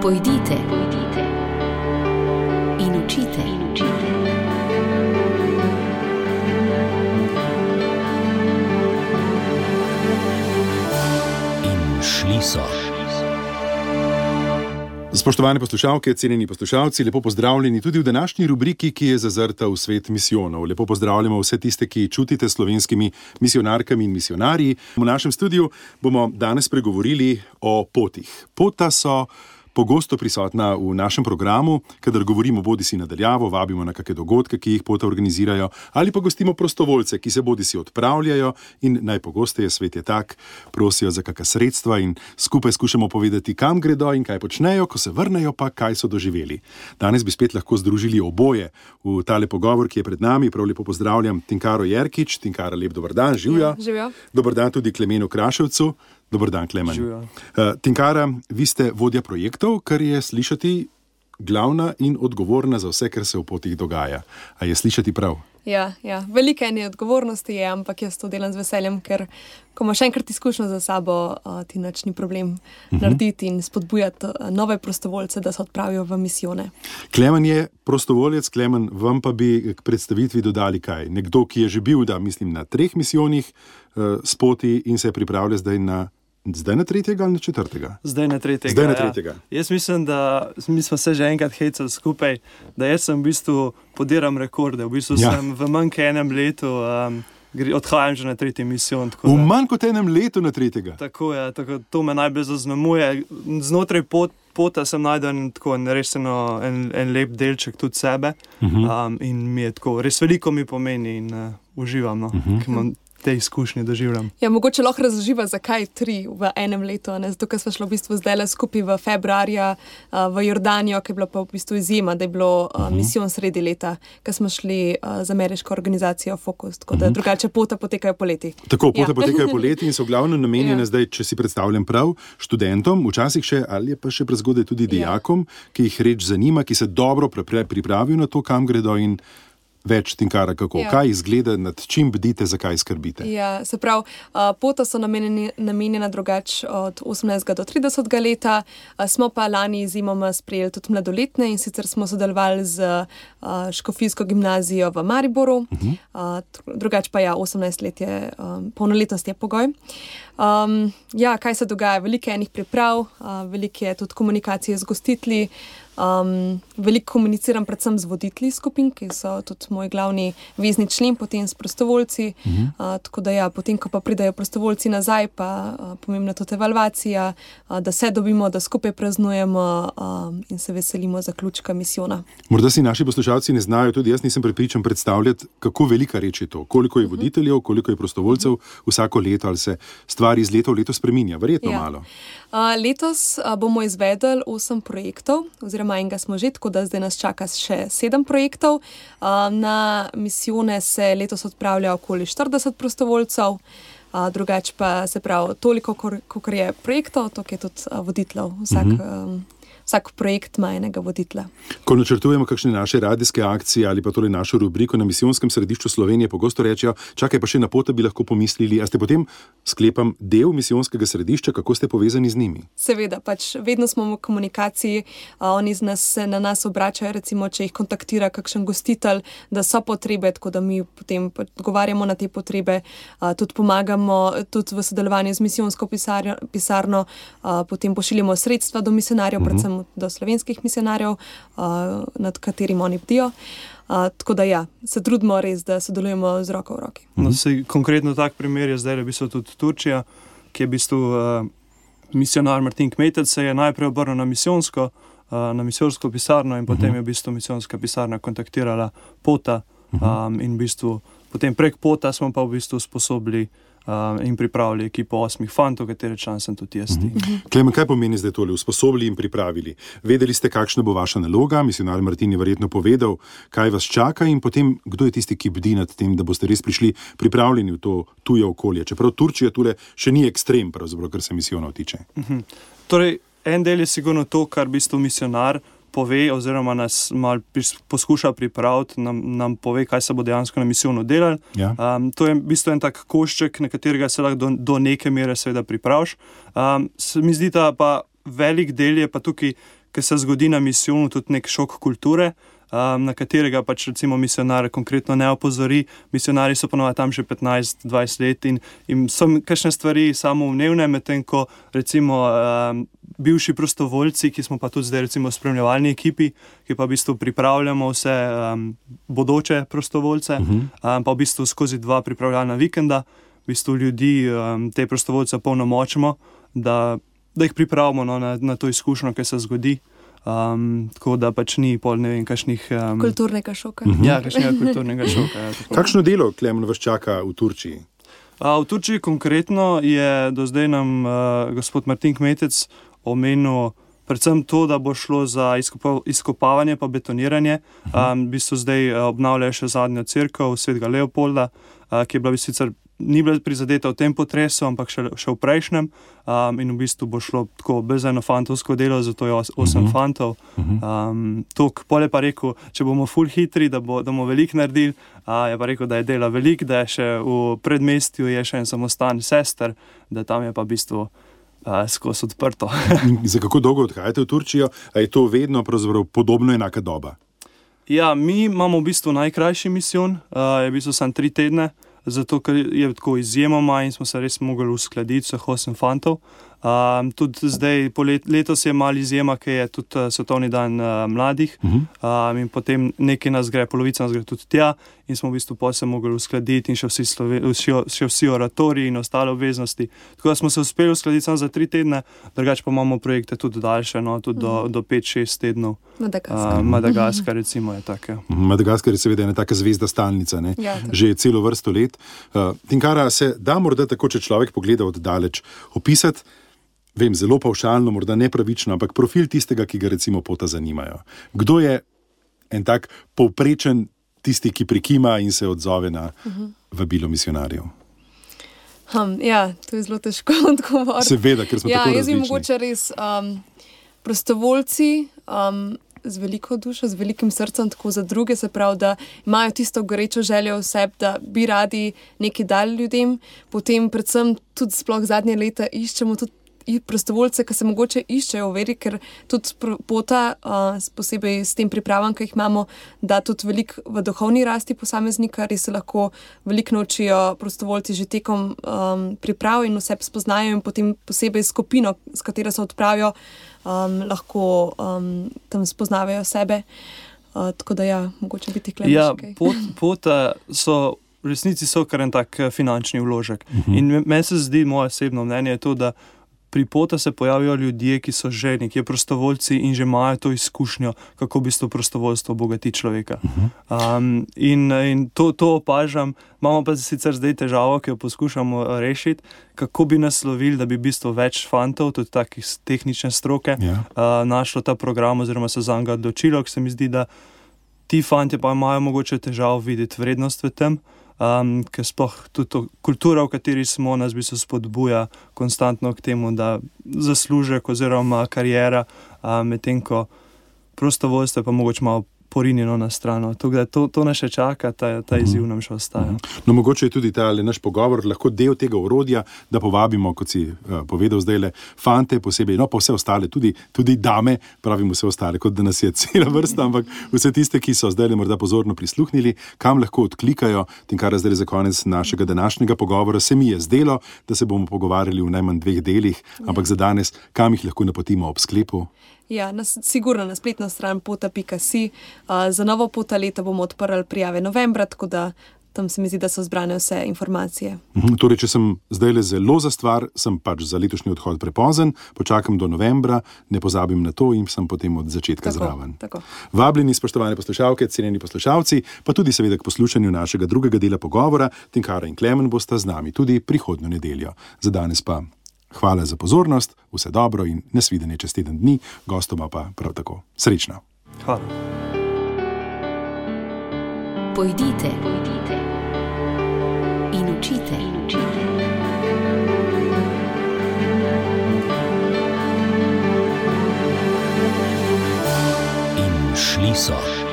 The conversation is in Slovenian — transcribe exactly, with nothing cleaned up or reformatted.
Pojdite, pojdite in učite, in učite. In šli so. Spoštovane poslušalke, cenjeni poslušalci, lepo pozdravljeni tudi v današnji rubriki, ki je zazrta v svet misijonov. Lepo pozdravljamo vse tiste, ki čutite slovenskimi misijonarkami in misijonarji. V našem studiu bomo danes pregovorili o potih. Pota so pogosto prisotna v našem programu, kadar govorimo bodisi nadaljavo, vabimo na kakšne dogodke, ki jih pota organizirajo, ali pa gostimo prostovoljce, ki se bodisi odpravljajo in najpogosteje, svet je tak, prosijo za kakšna sredstva in skupaj skušamo povedati, kam gredo in kaj počnejo, ko se vrnejo pa, kaj so doživeli. Danes bi spet lahko združili oboje v tale pogovor, ki je pred nami. Prav lepo pozdravljam Tinkaro Jerkič. Tinkara, lep dober dan, živjo. Živjo. Dober dan tudi Klemenu Kraševcu. Dober dan, Klemen. Uh, Tinkara, vi ste vodja projektov, kar je slišati glavna in odgovorna za vse, kar se v potih dogaja. A je slišati prav? Ja, ja. Velike ene odgovornosti je, ampak jaz to delam z veseljem, ker ko imaš enkrat izkušnjo za sabo, uh, ti nič ni problem uh-huh. narediti in spodbujati uh, nove prostovoljce, da se odpravijo v misijone. Klemen je prostovoljec, Klemen, vam pa bi k predstavitvi dodali kaj? Nekdo, ki je že bil, da mislim, na treh misijonih uh, s poti in se je pripravlja zdaj na Zdaj na tretjega ali na četrtega? Zdaj na tretjega, Zdaj na tretjega. Ja. Jaz mislim, da mi smo se že enkrat hecali skupaj, da jaz sem v bistvu podiram rekorde. V bistvu ja. sem v manj kot enem letu um, odhajam že na tretji misijon. V manj kot enem letu na tretjega? Tako je, tako, to me najbolj zaznamuje. Znotraj pot, pota sem najdel tako reseno en, en lep delček tudi sebe uh-huh. um, in mi je tako, res veliko mi pomeni in uh, uživam, no, uh-huh. ker imam te izkušnje doživljam. Ja, mogoče lahko razloživa, zakaj tri v enem letu, ne? Zato, ker smo šli v bistvu zdaj skupaj v februarja uh, v Jordanijo, ki je bila pa v bistvu izjema, da je bilo uh, misijon sredi leta, ker smo šli uh, z ameriško organizacijo Focus, tako da uh-huh. drugače pota potekajo poleti. Tako, pota ja. potekajo poleti in so glavno namenjene ja. zdaj, če si predstavljam prav, študentom, včasih še, ali je pa še prezgodaj tudi dijakom, ja. ki jih reč zanima, ki se dobro pripravijo na to, kam gredo in več, Tinkara, kako? Ja. Kaj izgleda, nad čim bdite, zakaj skrbite? Ja, se pravi, uh, pota so namenjeni, namenjena drugače od osemnajstega do tridesetega leta. Uh, smo pa lani izjemoma sprejeli tudi mladoletne in sicer smo sodelovali z uh, Škofijsko gimnazijo v Mariboru. Uh-huh. Uh, drugače pa ja, osemnajst let je, um, polnoletnost je pogoj. Um, ja, kaj se dogaja? Veliko enih priprav, uh, veliko je tudi komunikacije z gostitelji. Um, veliko komuniciram predvsem z voditelji skupin, ki so tudi moj glavni vezni člen, potem s prostovoljci. Uh-huh. Uh, tako da ja, potem, ko pa pridajo prostovoljci nazaj, pa uh, pomembna tudi evalvacija, uh, da se dobimo, da skupaj praznujemo uh, in se veselimo zaključka misijona. Morda si naši poslušalci ne znajo, tudi jaz nisem prepričan predstavljati, kako velika reč je to, koliko je voditeljev, koliko je prostovoljcev vsako leto, ali se stvari iz leta v leto spreminja, verjetno ja. malo. Uh, letos uh, bomo izvedeli osem projektov, oziroma enega smo že, tako da zdaj nas čaka še sedem projektov. Uh, na misijone se letos odpravlja okoli štirideset prostovoljcev, uh, drugače pa se pravi toliko, kolikor je projektov, toliko je tudi uh, voditeljev. Vsak, uh-huh. um, vsak projekt ima enega voditelja. Ko načrtujemo kakšne naše radijske akcije ali pa torej našo rubriko na misijonskem središču Slovenije, pogosto rečejo, čakaj pa še na pota bi lahko pomislili, a ste potem, sklepam, del misijonskega središča, kako ste povezani z njimi? Seveda, pač vedno smo v komunikaciji, a oni z nas se na nas obračajo, recimo, če jih kontaktira kakšen gostitelj, da so potrebe, tako da mi potem odgovarjamo na te potrebe, a, tudi pomagamo, tudi v sodelovanju z misijonsko pisarjo, pisarno, a, potem pošiljamo sredstva do misionarjev, uh-huh. predvsem do slovenskih misionarjev, uh, nad katerim oni bdijo. Uh, tako da ja, se trudimo res, da sodelujemo z roko v roki. No, sej, konkretno tak primer je zdaj v bistvu tudi Turčija, ki je v bistvu uh, misionar Martin Kmetec se je najprej obrnil na misijonsko, uh, na misijonsko pisarno in uh-huh. potem je v bistvu misijonska pisarna kontaktirala Pota um, uh-huh. in v bistvu potem prek Pota smo pa v bistvu sposobili Uh, in pripravili ekipo osmih fantov, katere član sem tudi jaz. Uh-huh. Klemen, kaj pomeni zdaj tole? Usposobili in pripravili. Vedeli ste, kakšna bo vaša naloga, misionar Martin je verjetno povedal, kaj vas čaka in potem, kdo je tisti, ki bdi nad tem, da boste res prišli pripravljeni v to tuje okolje. Čeprav Turčija tule še ni ekstrem, pravzaprav, kar se misijonov tiče. Uh-huh. Torej, en del je sigurno to, kar v bistvu misionar pove oziroma nas malo poskuša pripraviti, nam, nam pove, kaj se bo dejansko na misijonu delali. Ja. Um, to je v bistvu en tak košček, na katerega se lahko do, do neke mere seveda pripraviš. Um, se mi zdi, da pa velik del je pa tukaj, ker se zgodi na misijonu tudi nek šok kulture, Um, na katerega pač recimo misionar konkretno ne opozori. Misionari so ponovno tam že petnajst dvajset let in, in so kakšne stvari samoumevne, medtem ko recimo um, bivši prostovoljci, ki smo pa tudi zdaj recimo spremljevalni ekipi, ki pa v bistvu pripravljamo vse um, bodoče prostovoljce, uh-huh. um, pa v bistvu skozi dva pripravljalna vikenda v bistvu ljudi, um, te prostovoljce polnomočimo, da, da jih pripravimo no, na, na to izkušnjo, ki se zgodi. Um, tako da pač ni pol ne vem kakšnih um, kulturnega šoka. Uh-huh. Ja, kakšnega kulturnega šoka. Ja, kakšno delo, Klemen, vas čaka v Turčiji? Uh, v Turčiji konkretno je do zdaj nam uh, gospod Martin Kmetec omenil predvsem to, da bo šlo za izkopa, izkopavanje pa betoniranje. Uh-huh. Um, v bistvu zdaj uh, obnavljajo še zadnjo cerkev Svetega Leopolda, uh, ki je bila v sicer ni bila prizadeta v tem potresu, ampak še, še v prejšnjem um, in v bistvu bo šlo tako brez eno fantovsko delo, zato je os, osem uh-huh. fantov. Um, tok, pol je pa rekel, če bomo ful hitri, da, bo, da bomo veliko naredili, uh, je pa rekel, da je dela veliko, da je še v predmestju je še en samostan sester, da tam je pa v bistvu uh, skozi odprto. Za kako dolgo odhajate v Turčijo? A je to vedno pravzaprav podobno enaka doba? Ja, mi imamo v bistvu najkrajši misijon, uh, je v bistvu samo tri tedne, zato ker je tako izjemoma in smo se res mogli uskladiti vseh osem fantov. Um, tudi zdaj, let, letos je malo izjema, ker je tudi uh, svetovni dan uh, mladih uh-huh. um, in potem nekaj nas gre, polovica nas gre tudi tja in smo v bistvu pa se mogli uskladiti in še vsi, slove, še, še vsi oratoriji in ostale obveznosti. Tako da smo se uspeli uskladiti samo za tri tedne, drugače pa imamo projekte tudi daljše, no, tudi uh-huh. do, do pet šest tednov. Madagaskar. Uh, Madagaskar recimo je taka. Madagaskar je seveda ena taka zvezda stalnica, ne? Ja, že celo vrsto let. Uh, Tinkara, se da morda tako, če človek pogleda od daleč, opisati, vem, zelo pavšalno, morda nepravično, ampak profil tistega, ki ga recimo pota zanimajo. Kdo je en tak povprečen tisti, ki prikima in se odzove na uh-huh. vabilo misionarjev? Um, ja, to je zelo težko odgovoriti. Seveda, ker smo ja, tako različni. Jaz bi mogoče res um, prostovoljci um, z veliko dušo, z velikim srcem, tako za druge, se pravi, da imajo tisto gorečo željo v sebi, da bi radi nekaj dali ljudem. Potem predvsem tudi sploh zadnje leta iščemo tudi prostovoljce, ki se mogoče iščejo v veri, ker tudi pota, uh, posebej s tem pripravam, ki jih imamo, da tudi veliko v duhovni rasti posameznika, res se lahko veliko naučijo prostovoljci že tekom um, priprav in vse spoznajo in potem posebej skupino, s katero se odpravijo, um, lahko um, tam spoznavajo sebe. Uh, tako da ja, mogoče biti Klemen ja, še kaj. pot, pota so, v resnici so kar en tak finančni vložek. Uh-huh. In meni se zdi, moje osebno mnenje je to, da pri pota se pojavijo ljudje, ki so že nekje prostovoljci in že imajo to izkušnjo, kako bi to prostovoljstvo bogati človeka. Um, in in to, to opažam. Imamo pa sicer zdaj težavo, ki jo poskušamo rešiti, kako bi naslovili, da bi v bistvu več fantov, tudi takih tehnične stroke, yeah. uh, našlo ta program oziroma se zanj ga odločilo, ker se mi zdi, da ti fantje pa imajo mogoče težavo videti vrednost v tem. Um, ker sploh tudi to kultura, v kateri smo, nas bi se spodbuja konstantno k temu, da zaslužek oziroma karijera, um, medtem ko prostovoljstvo pa mogoče malo porinjeno na strano. To, to nas še čaka, ta, ta izziv nam še ostaja. No, mogoče je tudi ta naš pogovor lahko del tega orodja, da povabimo, kot si uh, povedal zdajle, fante posebej, no pa vse ostale, tudi, tudi dame, pravimo vse ostale, kot da nas je cela vrsta, ampak vse tiste, ki so zdajle morda pozorno prisluhnili, kam lahko odklikajo, tem, kar je zdaj za konec našega današnjega pogovora, se mi je zdelo, da se bomo pogovarjali v najmanj dveh delih, ampak za danes, kam jih lahko napotimo ob sklepu? Ja, nas, sigurno na spletno stran pota pika si. Uh, za novo pota leta bomo odprli prijave novembra, tako da tam se mi zdi, da so zbrane vse informacije. Mhm, torej, če sem zdaj le zelo za stvar, sem pač za letošnji odhod prepozen, počakam do novembra, ne pozabim na to in sem potem od začetka tako, zraven. Tako. Vabljeni, spoštovane poslušalke, cenjeni poslušalci, pa tudi seveda k poslušanju našega drugega dela pogovora. Tinkara in Klemen bosta z nami tudi prihodnjo nedeljo. Za danes pa hvala za pozornost, vse dobro in nasvidenje čez teden dni, gostoma pa prav tako. Srečno. Hvala. Pojdite, pojdite in učite, in učite. In šli so.